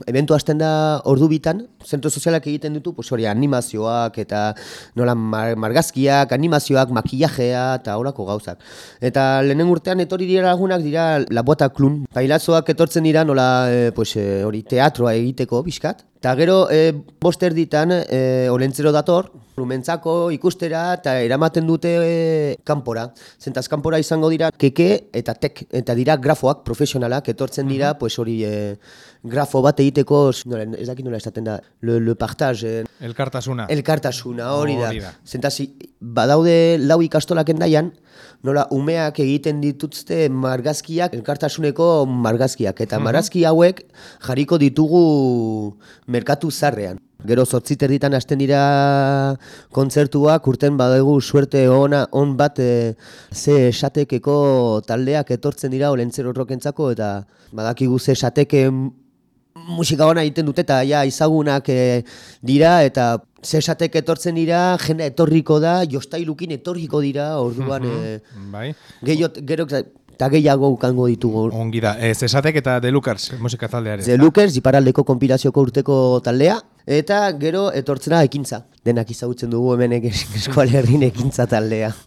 Eventu hasten da ordu bitan, zentro sozialak egiten ditu, pues hori animazioak eta nola margazkiak, animazioak, makillajea eta horako gauzak. Eta lehenen urtean etorri dira lagunak dira Labuata Klun. Pailazoak etortzen dira nola hori teatroa egiteko bizkat. Eta gero bost erditan Olentzero dator, Lumentzako ikustera eta eramaten dute kanpora. Zentaz kanpora izango dira keke eta tek, eta dira grafoak profesionalak etortzen dira, pues hori grafo bat egiteko, ez dakit nola esaten da, le partage. Elkartasuna, hori da. Zentaz, badaude lau ikastolak endaian, nola umeak egiten dituzte margazkiak, elkartasuneko margazkiak. Eta margazki hauek jarriko ditugu merkatu zarrean. Gero 8:00 hasten dira kontzertuak, urten badegu suerte on bat ze esatekeko taldeak etortzen dira Olentzero rokentzako, eta badakigu ze esateke musika ona egiten dute eta ja izagunak dira, eta ze esatek etortzen dira, jende etorriko da, jostailukin etorriko dira, orduan gero eta gehiago ukango ditugu. Ongi da, Zesatek eta The Lookers musika taldeare. The Lookers, iparraldeko konpirazioko urteko taldea, eta gero etortzena ekintza. Denak izagutzen dugu hemen Eskual Herrin ekintza taldea.